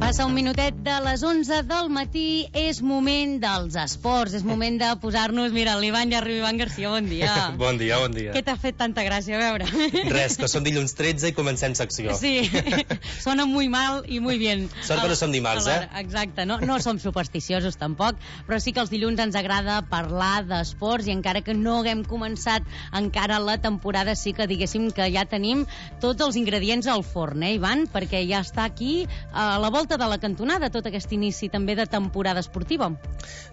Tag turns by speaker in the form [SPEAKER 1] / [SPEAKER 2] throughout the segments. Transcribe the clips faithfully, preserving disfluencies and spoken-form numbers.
[SPEAKER 1] Passa un minutet de les onze del matí, és moment dels esports, és moment de posar-nos... Mira, l'Ivan ja arriba, Ivan Garcia, bon dia.
[SPEAKER 2] Bon dia, bon dia.
[SPEAKER 1] Què t'ha fet tanta gràcia, a veure?
[SPEAKER 2] Res, que som dilluns tretze i comencem secció.
[SPEAKER 1] Sí, sona muy mal i muy bien.
[SPEAKER 2] Sort que no som dimarts, eh?
[SPEAKER 1] Exacte, no, no som supersticiosos tampoc, però sí que els dilluns ens agrada parlar d'esports i encara que no haguem començat encara la temporada, sí que diguéssim que ja tenim tots els ingredients al forn, eh, Ivan? Perquè ja està aquí a la volta de la cantonada tot aquest inici també de temporada esportiva.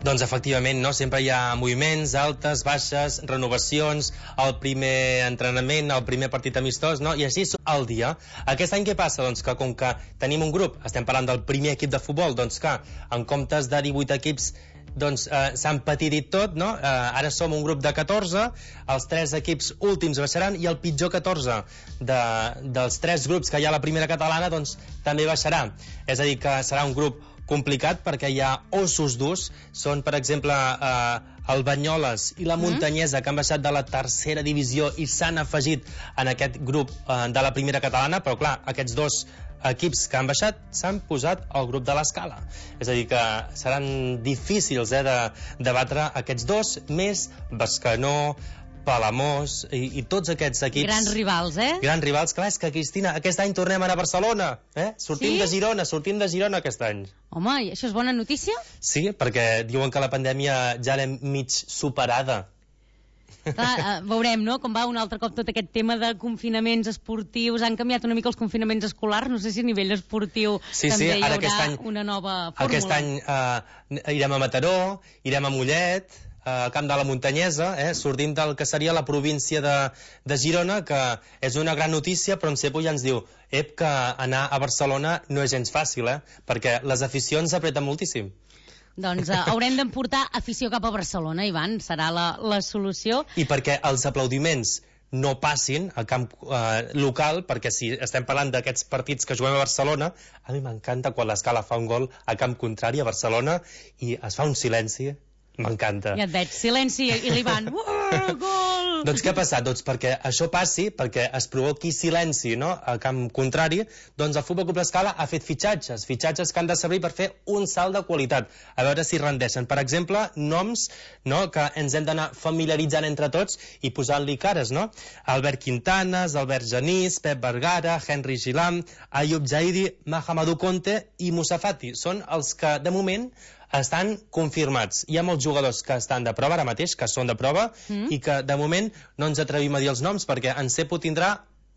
[SPEAKER 2] Doncs efectivament, no? Sempre hi ha moviments, altes, baixes, renovacions, el primer entrenament, el primer partit amistós, no? I així el dia. Aquest any què passa? Doncs que com que tenim un grup, estem parlant del primer equip de futbol, doncs que en comptes de divuit equips doncs eh, s'han petitit tot, no? Eh, ara som un grup de catorze, els tres equips últims baixaran i el pitjor catorze de, dels tres grups que hi ha a la primera catalana doncs també baixarà. És a dir, que serà un grup complicat perquè hi ha ossos durs, són per exemple eh, el Banyoles i la Muntanyesa, que han baixat de la tercera divisió i s'han afegit en aquest grup eh, de la primera catalana, però clar, aquests dos equips que han baixat s'han posat al grup de l'Escala. És a dir, que seran difícils eh, de, de batre aquests dos, més Bescanó, Palamós i, i tots aquests equips...
[SPEAKER 1] Grans rivals, eh?
[SPEAKER 2] Grans rivals. Clar, és que, Cristina, aquest any tornem a anar a Barcelona, eh? Sortim
[SPEAKER 1] sí?
[SPEAKER 2] de Girona, sortim de Girona aquest any.
[SPEAKER 1] Home, i això és bona notícia?
[SPEAKER 2] Sí, perquè diuen que la pandèmia ja l'hem mig superada.
[SPEAKER 1] Clar, eh, veurem, no?, com va un altre cop tot aquest tema de confinaments esportius. Han canviat una mica els confinaments escolars, no sé si a nivell esportiu
[SPEAKER 2] sí,
[SPEAKER 1] també
[SPEAKER 2] sí,
[SPEAKER 1] hi haurà
[SPEAKER 2] any,
[SPEAKER 1] una nova fórmula.
[SPEAKER 2] Aquest any eh, irem a Mataró, irem a Mollet, al camp de la Muntanyesa, eh? Sortim del que seria la província de, de Girona, que és una gran notícia, però en Cepo ja ens diu ep, que anar a Barcelona no és gens fàcil, eh? Perquè les aficions apreten moltíssim.
[SPEAKER 1] Doncs uh, haurem d'emportar afició cap a Barcelona, Ivan, serà la, la solució.
[SPEAKER 2] I perquè els aplaudiments no passin al camp eh, local, perquè si estem parlant d'aquests partits que juguem a Barcelona, a mi m'encanta quan l'Escala fa un gol a camp contrari a Barcelona i es fa un silenci. M'encanta.
[SPEAKER 1] Ja et veig, silenci, i l'Ivan, uh, gol!
[SPEAKER 2] Doncs què ha passat? Doncs perquè això passi, perquè es provoqui silenci, no?, a camp contrari, doncs el Futbol Club L'Escala ha fet fitxatges, fitxatges que han de servir per fer un salt de qualitat, a veure si rendeixen. Per exemple, noms, no?, que ens hem d'anar familiaritzant entre tots i posant-li cares, no? Albert Quintanes, Albert Genís, Pep Vergara, Henry Gilam, Ayub Zaidi, Mahamadou Conte i Moussa Fati. Són els que, de moment, estan confirmats. Hi ha molts jugadors que estan de prova ara mateix, que són de prova, mm. i que de moment no ens atrevim a dir els noms perquè en Cepo tindrà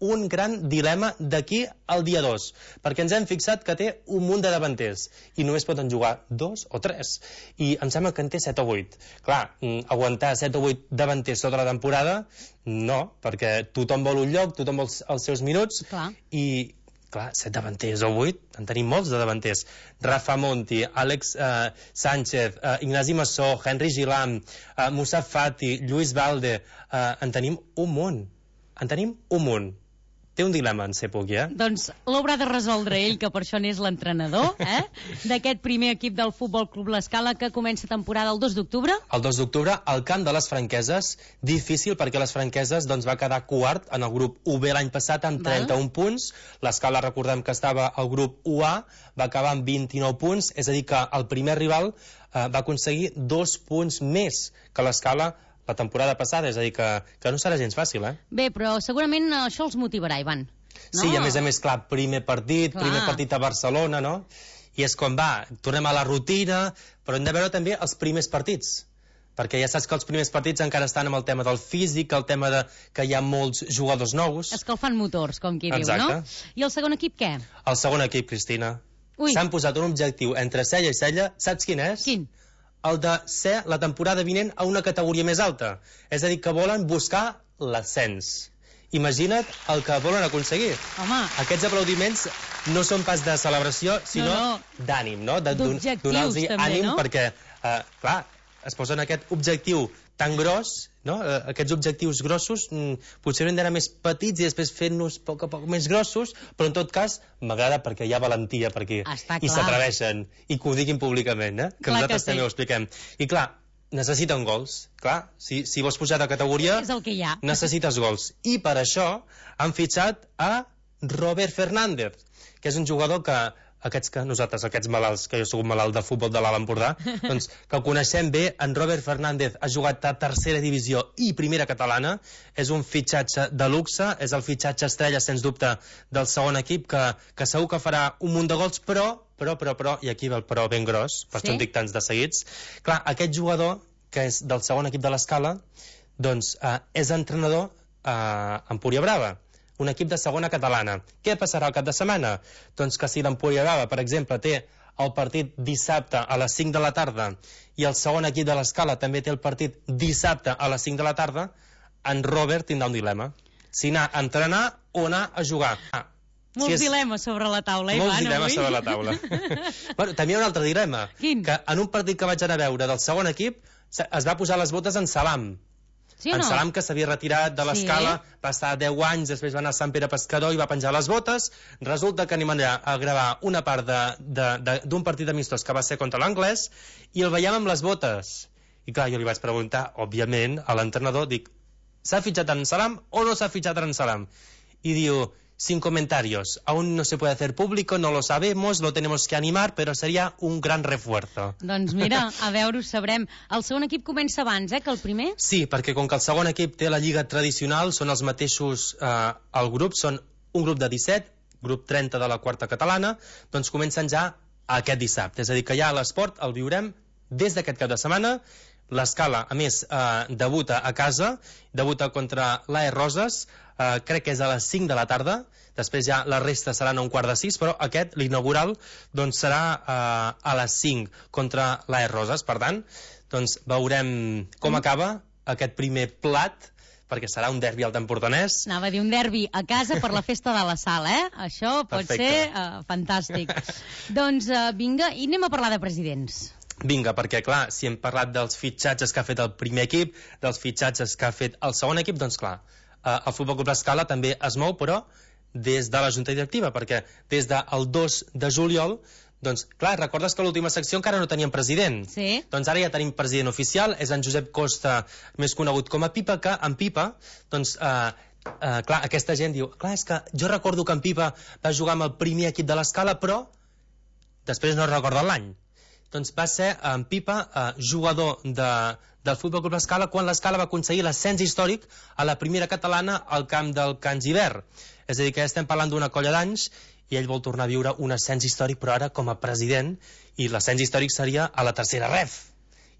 [SPEAKER 2] un gran dilema d'aquí al dia dos, perquè ens hem fixat que té un munt de davanters i només poden jugar dos o tres, i em sembla que en té set o vuit. Clar, aguantar set o vuit davanters tota la temporada, no, perquè tothom vol un lloc, tothom vol els seus minuts.
[SPEAKER 1] Clar.
[SPEAKER 2] i clar, set davanters o vuit, en tenim molts de davanters. Rafa Monti, Àlex eh, Sánchez, eh, Ignasi Massó, Henry Gilam, eh, Moussa Fati, Lluís Valde, eh, en tenim un munt. En tenim un munt. Té un dilema en Cepo aquí, eh?
[SPEAKER 1] Doncs l'haurà de resoldre ell, que per això n'és l'entrenador, eh? D'aquest primer equip del Futbol Club L'Escala que comença temporada el dos d'octubre.
[SPEAKER 2] El dos d'octubre, al camp de les Franqueses, difícil perquè les Franqueses doncs, va quedar quart en el grup U B l'any passat amb trenta-un punts. L'Escala, recordem que estava al grup U A, va acabar amb vint-i-nou punts, és a dir que el primer rival eh, va aconseguir dos punts més que l'Escala la temporada passada, és a dir, que, que no serà gens fàcil, eh?
[SPEAKER 1] Bé, però segurament això els motivarà, Ivan. No?
[SPEAKER 2] Sí, i a més a més, clar, primer partit,
[SPEAKER 1] clar.
[SPEAKER 2] primer partit a Barcelona, no? I és com va, tornem a la rutina, però hem de veure també els primers partits, perquè ja saps que els primers partits encara estan amb el tema del físic, el tema de que hi ha molts jugadors nous.
[SPEAKER 1] Escalfant motors, com qui
[SPEAKER 2] Exacte.
[SPEAKER 1] diu, no? I el segon equip què?
[SPEAKER 2] El segon equip, Cristina. S'han posat un objectiu entre cella i cella, saps quin és?
[SPEAKER 1] Quin?
[SPEAKER 2] El de ser la temporada vinent a una categoria més alta. És a dir, que volen buscar l'ascens. Imagina't el que volen aconseguir.
[SPEAKER 1] Home.
[SPEAKER 2] Aquests aplaudiments no són pas de celebració, sinó no, no. d'ànim, no?
[SPEAKER 1] D'objectius,
[SPEAKER 2] donar-los ànim,
[SPEAKER 1] no?
[SPEAKER 2] perquè, eh, clar, es posen aquest objectiu tan gros, no? Eh, aquests objectius grossos mm, potser haurien d'anar més petits i després fent-nos a poc a poc més grossos, però en tot cas m'agrada perquè hi ha valentia per aquí.
[SPEAKER 1] Està
[SPEAKER 2] I
[SPEAKER 1] clar.
[SPEAKER 2] s'atreveixen i que ho diguin públicament, eh? que
[SPEAKER 1] clar
[SPEAKER 2] nosaltres
[SPEAKER 1] que sí.
[SPEAKER 2] també ho expliquem. I clar, necessiten gols. Clar, si, si vols pujar de categoria,
[SPEAKER 1] és el que hi ha.
[SPEAKER 2] necessites gols. I per això han fitxat a Robert Fernández, que és un jugador que aquests que nosaltres, aquests malalts, que jo soc un malalt de futbol de l'Alt Empordà, doncs que el coneixem bé, en Robert Fernández ha jugat a tercera divisió i primera catalana, és un fitxatge de luxe, és el fitxatge estrella, sens dubte, del segon equip, que, que segur que farà un munt de gols, però, però, però, però, i aquí ve el però ben gros, per això en dic tants de seguits, clar, aquest jugador, que és del segon equip de l'Escala, doncs eh, és entrenador eh, a Empúria Brava, un equip de segona catalana. Què passarà el cap de setmana? Doncs que si l'Empúria Brava, per exemple, té el partit dissabte a les cinc de la tarda i el segon equip de l'Escala també té el partit dissabte a les cinc de la tarda, en Robert tindrà un dilema. Si anar a entrenar o anar a jugar. Ah,
[SPEAKER 1] Molts
[SPEAKER 2] si és...
[SPEAKER 1] dilemes sobre la taula, Ivan,
[SPEAKER 2] Molts dilemes
[SPEAKER 1] avui.
[SPEAKER 2] sobre la taula. Bueno, també hi ha un altre dilema.
[SPEAKER 1] Quin?
[SPEAKER 2] Que en un partit que vaig anar a veure del segon equip es va posar les botes en Salam.
[SPEAKER 1] Sí o no?
[SPEAKER 2] En Salam, que s'havia retirat de l'Escala, sí. Va estar deu anys, després va anar a Sant Pere Pescador i va penjar les botes. Resulta que anem allà a gravar una part d'un partit amistós que va ser contra l'Anglès i el veiem amb les botes. I clar, jo li vaig preguntar, òbviament, a l'entrenador, dic, ¿s'ha fitxat en Salam o no s'ha fitxat en Salam? I diu, sin comentarios, aún no se puede hacer público, no lo sabemos, lo tenemos que animar, pero sería un gran refuerzo.
[SPEAKER 1] Doncs mira, a veure, ho sabrem. El segon equip comença abans, eh, que el primer?
[SPEAKER 2] Sí, perquè com que el segon equip té la lliga tradicional, són els mateixos, eh, el grup, són un grup de disset, grup trenta de la quarta catalana, doncs comencen ja aquest dissabte. És a dir, que ja l'esport el viurem des d'aquest cap de setmana. L'Escala, a més, eh, debuta a casa, debuta contra l'A E Roses, eh, crec que és a les cinc de la tarda, després ja la resta seran a un quart de sis, però aquest, l'inaugural, doncs serà eh, a les cinc contra l'A E Roses. Per tant, doncs veurem com mm. acaba aquest primer plat, perquè serà un derbi al tempordanès.
[SPEAKER 1] Anava a dir un derbi a casa per la festa de la sal, eh? Això pot
[SPEAKER 2] Perfecte.
[SPEAKER 1] ser uh, fantàstic. Doncs uh, vinga, i anem a parlar de presidents.
[SPEAKER 2] Vinga, perquè clar, si hem parlat dels fitxatges que ha fet el primer equip, dels fitxatges que ha fet el segon equip, doncs clar, eh, el Futbol Club L'Escala també es mou, però des de la Junta Directiva, perquè des del dos de juliol, doncs clar, recordes que a l'última secció encara no teníem president?
[SPEAKER 1] Sí.
[SPEAKER 2] Doncs ara ja tenim president oficial, és en Josep Costa, més conegut com a Pipa, que en Pipa, doncs... Eh, Uh, clar, aquesta gent diu, clar, és que jo recordo que en Pipa va jugar amb el primer equip de l'Escala, però després no recordo l'any. Doncs va ser en Pipa eh, jugador de, del Futbol Club L'Escala quan l'Escala va aconseguir l'ascens històric a la primera catalana al camp del Can Giver. És a dir, que ja estem parlant d'una colla d'anys i ell vol tornar a viure un ascens històric, però ara com a president, i l'ascens històric seria a la tercera ref.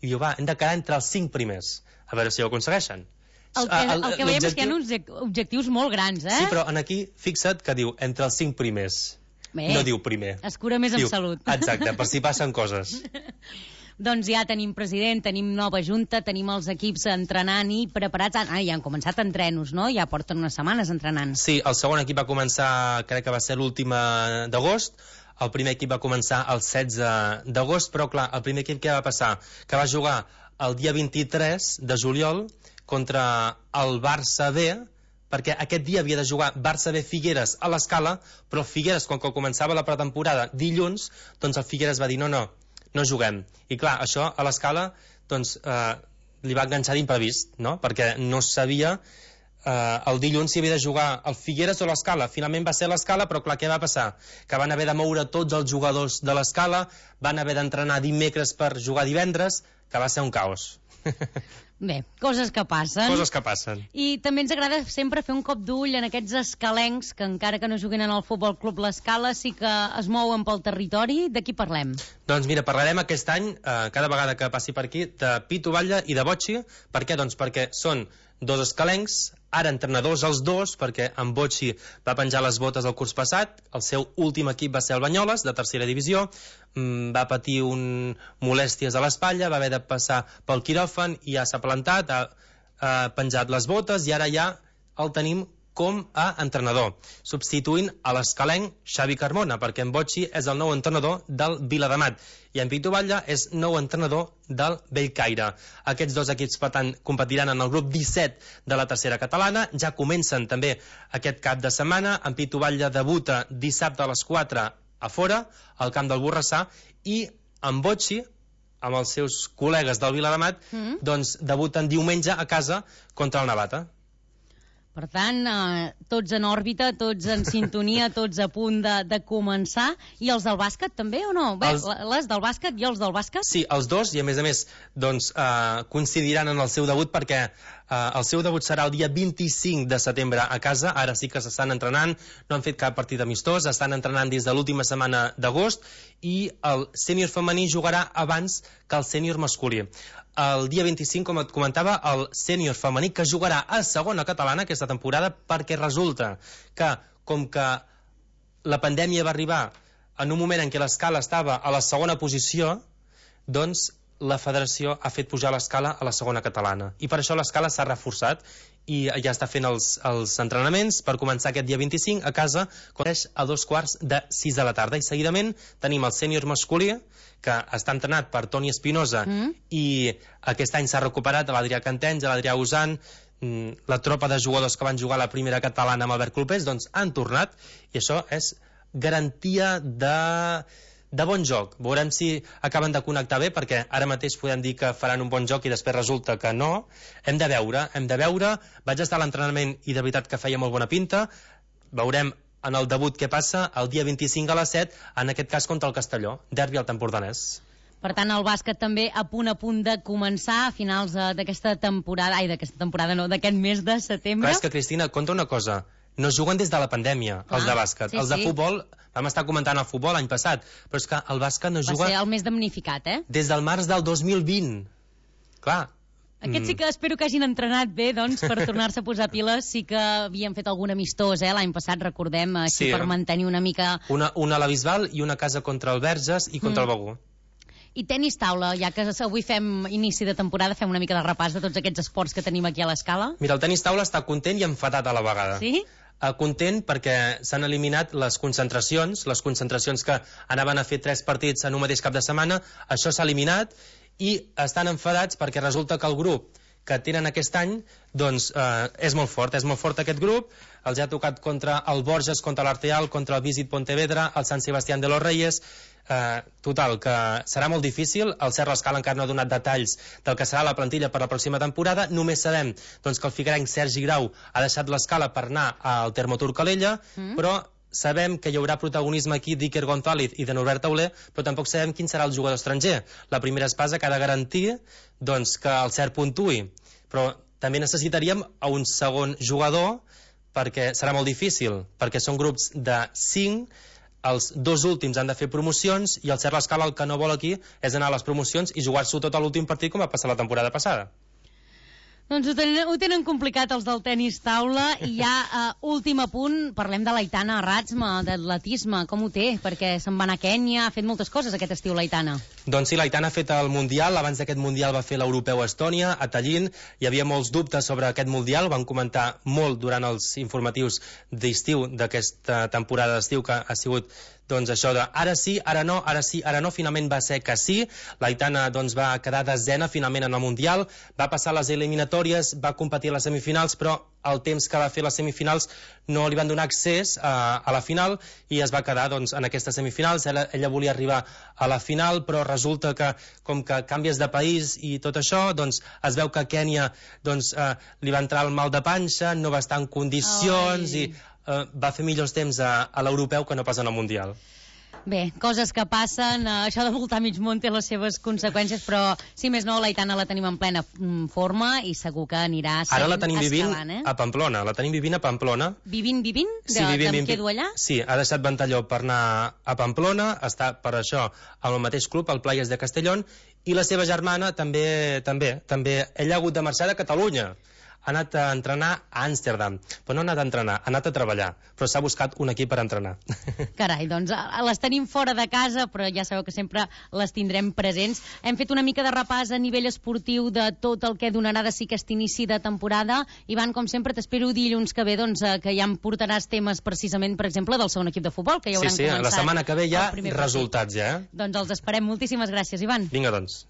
[SPEAKER 2] I diu, va, hem de quedar entre els cinc primers. A veure si ho aconsegueixen.
[SPEAKER 1] El que, el que veiem és que hi ha uns objectius molt grans, eh?
[SPEAKER 2] Sí, però en aquí, fixa't que diu entre els cinc primers.
[SPEAKER 1] Bé,
[SPEAKER 2] no diu primer.
[SPEAKER 1] Es cura més
[SPEAKER 2] diu,
[SPEAKER 1] en salut.
[SPEAKER 2] Exacte, per si passen coses.
[SPEAKER 1] Doncs ja tenim president, tenim nova junta, tenim els equips entrenant i preparats. Ah, ja han començat entrenos, no? Ja porten unes setmanes entrenant.
[SPEAKER 2] Sí, el segon equip va començar, crec que va ser l'última d'agost. El primer equip va començar el setze d'agost, però clar, el primer equip què va passar? Que va jugar el dia vint-i-tres de juliol contra el Barça B, perquè aquest dia havia de jugar Barça B Figueres a l'Escala, però Figueres, quan començava la pretemporada dilluns, doncs el Figueres va dir no, no, no juguem. I clar, això a l'Escala doncs, eh, li va enganxar d'imprevist, no? Perquè no sabia eh, el dilluns si havia de jugar el Figueres o l'Escala. Finalment va ser l'Escala, però clar, què va passar? Que van haver de moure tots els jugadors de l'Escala, van haver d'entrenar dimecres per jugar divendres, que va ser un caos.
[SPEAKER 1] Bé, coses que passen.
[SPEAKER 2] Coses que passen.
[SPEAKER 1] I també ens agrada sempre fer un cop d'ull en aquests escalencs que encara que no juguin en el Futbol Club L'Escala sí que es mouen pel territori. De qui parlem?
[SPEAKER 2] Doncs mira, parlarem aquest any, eh, cada vegada que passi per aquí, de Pitu Batlle i de Botxi. Per què? Doncs perquè són dos escalencs, ara entrenadors els dos, perquè en Botxi va penjar les botes el curs passat, el seu últim equip va ser el Banyoles, de tercera divisió, mm, va patir un molèsties a l'espatlla, va haver de passar pel quiròfan i ja s'ha plantat, ha, ha penjat les botes i ara ja el tenim com a entrenador, substituint a l'escalenc Xavi Carmona, perquè en Botxi és el nou entrenador del Viladamat i en Pitu Batlle és nou entrenador del Bellcaire. Aquests dos equips, per tant, competiran en el grup disset de la tercera catalana. Ja comencen també aquest cap de setmana. En Pitu Batlle debuta dissabte a les quatre a fora, al camp del Borrassà, i en Botxi, amb els seus col·legues del Viladamat, mm. doncs debuten diumenge a casa contra el Navata.
[SPEAKER 1] Per tant, eh, tots en òrbita, tots en sintonia, tots a punt de, de començar. I els del bàsquet també o no? Bé, els... les del bàsquet i els del bàsquet?
[SPEAKER 2] Sí, els dos, i a més a més doncs, eh, coincidiran en el seu debut perquè eh, el seu debut serà el dia vint-i-cinc de setembre a casa. Ara sí que s'estan entrenant, no han fet cap partit amistós, estan entrenant des de l'última setmana d'agost i el sènior femení jugarà abans que el sènior masculí. El dia vint-i-cinc, com et comentava, el sènior femení que jugarà a segona catalana aquesta temporada perquè resulta que, com que la pandèmia va arribar en un moment en què l'escala estava a la segona posició, doncs la federació ha fet pujar l'escala a la segona catalana. I per això l'escala s'ha reforçat i ja està fent els, els entrenaments per començar aquest dia vint-i-cinc a casa, coneix a dos quarts de sis de la tarda. I seguidament tenim el sènior masculí, que està entrenat per Toni Espinosa mm. i aquest any s'ha recuperat l'Adrià Cantenys, l'Adrià Usan, la tropa de jugadors que van jugar a la primera catalana amb Albert Clopés, doncs han tornat i això és garantia de... de bon joc. Veurem si acaben de connectar bé, perquè ara mateix podem dir que faran un bon joc i després resulta que no. Hem de veure, hem de veure. Vaig estar a l'entrenament i de veritat que feia molt bona pinta. Veurem en el debut què passa el dia vint-i-cinc a les set, en aquest cas contra el Castelló, derbi al Tempordanès.
[SPEAKER 1] Per tant, el bàsquet també a punt a punt de començar a finals d'aquesta temporada, ai, d'aquesta temporada no, d'aquest mes de setembre.
[SPEAKER 2] Clar, és que, Cristina, compta una cosa, no juguen des de la pandèmia, clar, els de bàsquet. Sí, els de sí. futbol, vam estar comentant el futbol l'any passat, però és que el bàsquet no juga...
[SPEAKER 1] Va ser el més damnificat, eh?
[SPEAKER 2] Des del març del dos mil vint. Clar.
[SPEAKER 1] Aquests sí que espero que hagin entrenat bé, doncs, per tornar-se a posar piles. Sí que havien fet algun amistós, eh, l'any passat, recordem, així sí, per mantenir una mica...
[SPEAKER 2] Una, una a la Bisbal i una casa contra el Verges i contra mm. el Begur.
[SPEAKER 1] I tenis taula, ja que avui fem inici de temporada, fem una mica de repàs de tots aquests esports que tenim aquí a l'escala.
[SPEAKER 2] Mira, el tenis taula està content i enfadat a la vegada.
[SPEAKER 1] Sí?
[SPEAKER 2] Uh, content perquè s'han eliminat les concentracions, les concentracions que anaven a fer tres partits en un mateix cap de setmana, això s'ha eliminat, i estan enfadats perquè resulta que el grup que tenen aquest any doncs eh, és molt fort, és molt fort aquest grup. Els ha tocat contra el Borges, contra l'Arteal, contra el Visit Pontevedra, el Sant Sebastián de los Reyes. Eh, total, que serà molt difícil. El Serra Escala encara no ha donat detalls del que serà la plantilla per la pròxima temporada. Només sabem doncs, que el figuerenc Sergi Grau ha deixat l'Escala per anar al Termotur Calella, mm. però sabem que hi haurà protagonisme aquí d'Iker González i de Norbert Tauler, però tampoc sabem quin serà el jugador estranger. La primera espasa que ha de garantir doncs, que el Cert puntuï, però també necessitaríem a un segon jugador perquè serà molt difícil, perquè són grups de cinc, els dos últims han de fer promocions i el Cert l'Escala el que no vol aquí és anar a les promocions i jugar-s'ho tot a l'últim partit com va passar la temporada passada.
[SPEAKER 1] Doncs ho tenen, ho tenen complicat els del tenis taula. I ja, uh, últim apunt, parlem de l'Aitana Ratsma, d'atletisme. Com ho té? Perquè se'n va anar a Kènia, ha fet moltes coses aquest estiu l'Aitana.
[SPEAKER 2] Doncs sí, l'Aitana ha fet el Mundial. Abans d'aquest Mundial va fer l'Europeu a Estònia, a Tallinn. Hi havia molts dubtes sobre aquest Mundial, van comentar molt durant els informatius d'estiu d'aquesta temporada d'estiu, que ha sigut doncs això de ara sí, ara no, ara sí, ara no, finalment va ser que sí. L'Aitana doncs, va quedar desena finalment en el Mundial, va passar les eliminatòries, va competir a les semifinals, però el temps que va fer les semifinals no li van donar accés a, a la final i es va quedar doncs, en aquestes semifinals. Ella, ella volia arribar a la final, però resulta que com que canvies de país i tot això, doncs es veu que a Kènia doncs, eh, li va entrar el mal de panxa, no va estar en condicions Ai. i Uh, va fer millors temps a, a l'europeu que no pas en el Mundial.
[SPEAKER 1] Bé, coses que passen, uh, això de voltar mig món té les seves conseqüències, però si més no, l'Aitana la tenim en plena mm, forma i segur que anirà sent
[SPEAKER 2] Ara la tenim vivint
[SPEAKER 1] escalant, eh?
[SPEAKER 2] a Pamplona, la tenim vivint a Pamplona.
[SPEAKER 1] Vivint, vivint? De,
[SPEAKER 2] sí, vivint,
[SPEAKER 1] em
[SPEAKER 2] vivint,
[SPEAKER 1] quedo allà?
[SPEAKER 2] Sí, ha deixat Ventalló per anar a Pamplona, està per això amb el mateix club, el Playas de Castellón, i la seva germana també, també, també, ella ha hagut de marxar de Catalunya. Ha anat a entrenar a Amsterdam, però no ha anat a entrenar, ha anat a treballar, però s'ha buscat un equip per entrenar.
[SPEAKER 1] Carai, doncs les tenim fora de casa, però ja sabeu que sempre les tindrem presents. Hem fet una mica de repàs a nivell esportiu de tot el que donarà de si aquest inici de temporada. Ivan, com sempre, t'espero dilluns que ve, doncs, que ja em portaràs temes precisament, per exemple, del segon equip de futbol, que ja hauran
[SPEAKER 2] sí, sí,
[SPEAKER 1] començat.
[SPEAKER 2] La setmana que ve hi ha resultats, ja. Eh?
[SPEAKER 1] Doncs els esperem. Moltíssimes gràcies, Ivan.
[SPEAKER 2] Vinga, doncs.